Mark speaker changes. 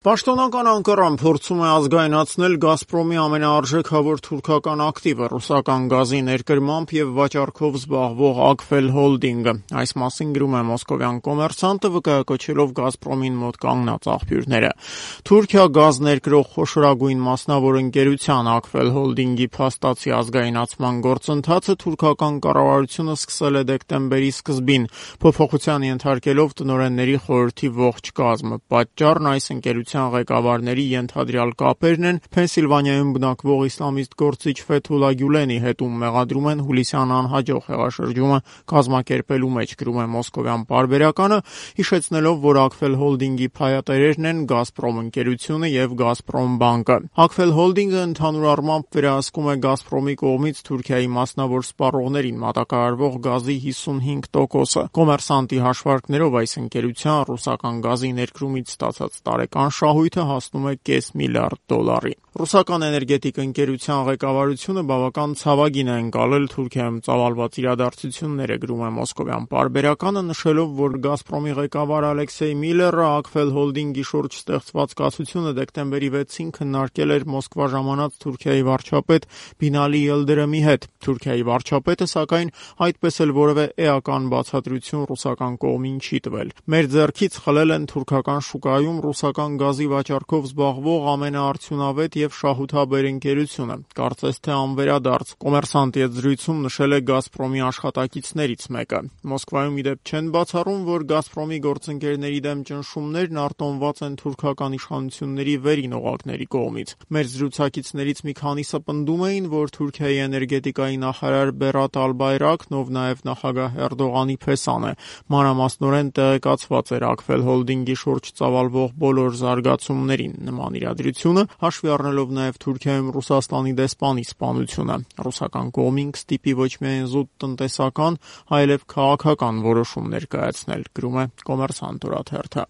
Speaker 1: Պաշտոնական Անկարան փորձում է ազգայնացնել «Գազպրոմի» ամենաարժեքավոր թուրքական ակտիվը՝ ռուսական գազի ներկրմամբ և վաճառքով զբաղվող «Ակֆել Հոլդինգը»։ Այս մասին գրում է մոսկովյան «Կոմերսանտը», վկայակոչելով «Գազպրոմին» մոտ կանգնած աղբյուրները։ Թուրքիա գազ ներկրող խոշորագույն մասնավոր ընկերության «Ակֆել Հոլդինգի» փաստացի ազգայնացման գործընթացը թուրքական կառավարությունը սկսել է դեկտեմբերի սկզբին, փոփոխության ենթարկելով տնօրենների խորհրդի ողջ կազմը։ Պատճառն այս ընկերության ղեկավարների ենթադրյալ կապերն են Փենսիլվանիայում բնակվող իսլամիստ գործիչ Ֆեթուլա Գյուլենի հետ, ում մեղադրում են հուլիսյան անհաջող հեղաշրջումը կազմակերպելու մեջ, գրում է մոսկովյան պարբերականը, հիշեցնելով, որ «Ակֆել Հոլդինգի» փայատերերն են «Գազպրոմ» ընկերությունը և «Գազպրոմ» բանկը։ «Ակֆել Հոլդինգը» ընդհանուր առմամբ վերահսկում է «Գազպրոմի» կողմից Թուրքիայի մասնավոր սպառողներին մատակարարվող գազի 55%-ը։ «Կոմերսանտի» հաշվարկներով այս ընկերության ռուսական գազի ներկրումից ստացած տարեկան շահույթը հասնում է կես միլիարդ դոլարի։ Ռուսական էներգետիկ ընկերության ղեկավարությունը բավական ցավագին է ընկալել Թուրքիայում ծավալված իրադարձությունները, գրում է մոսկովյան պարբերականը, նշելով, որ «Գազպրոմի» ղեկավար Ալեքսեյ Միլլերը «Ակֆել Հոլդինգի» շուրջ ստեղծված կացությունը դեկտեմբերի 6-ին քննարկել էր Մոսկվա ժամանած Թուրքիայի վարչապետ Բինալի Յիլդիրիմի հետ։ Թուրքիայի վարչապետը, սակայն, այդպես էլ որևէ էական բացատրություն ռուսական կողմին չի տվել։ «Մեր ձեռքից խլել են թուրքական շուկայում ռուսական գազի վաճառքով զբաղվող ամենաարդյունավետ և շահութաբեր ընկերությունը, կարծես թե անվերադարձ», «Կոմերսանտի» հետ զրույցում նշել է «Գազպրոմի» աշխատակիցներից մեկը։ Մոսկվայում, ի դեպ, չեն բացառում, որ «Գազպրոմի» գործընկերների դեմ ճնշումներն արտոնված են թուրքական իշխանությունների վերին օղակների կողմից։ Մեր զրուցակիցներից մի քանիսը պնդում էին, որ Թուրքիայի էներգետիկայի նախարար Բերատ Ալբայրակն, ով նաև նախագահ Էրդողանի փեսան է, մանրամասնորեն տեղեկացված էր «Ակֆել Հոլդինգի» շուրջ ծավալվող բոլոր զարգացումներին։ Նման իրադրությունը, հաշվի առնելով նաև Թուրքիայում Ռուսաստանի դեսպանի սպանությունը, ռուսական կողմին կստիպի ոչ միայն զուտ տնտեսական, այլև քաղաքական որոշումներ կայացնել, գրում է «Կոմերսանտ» օրաթերթը։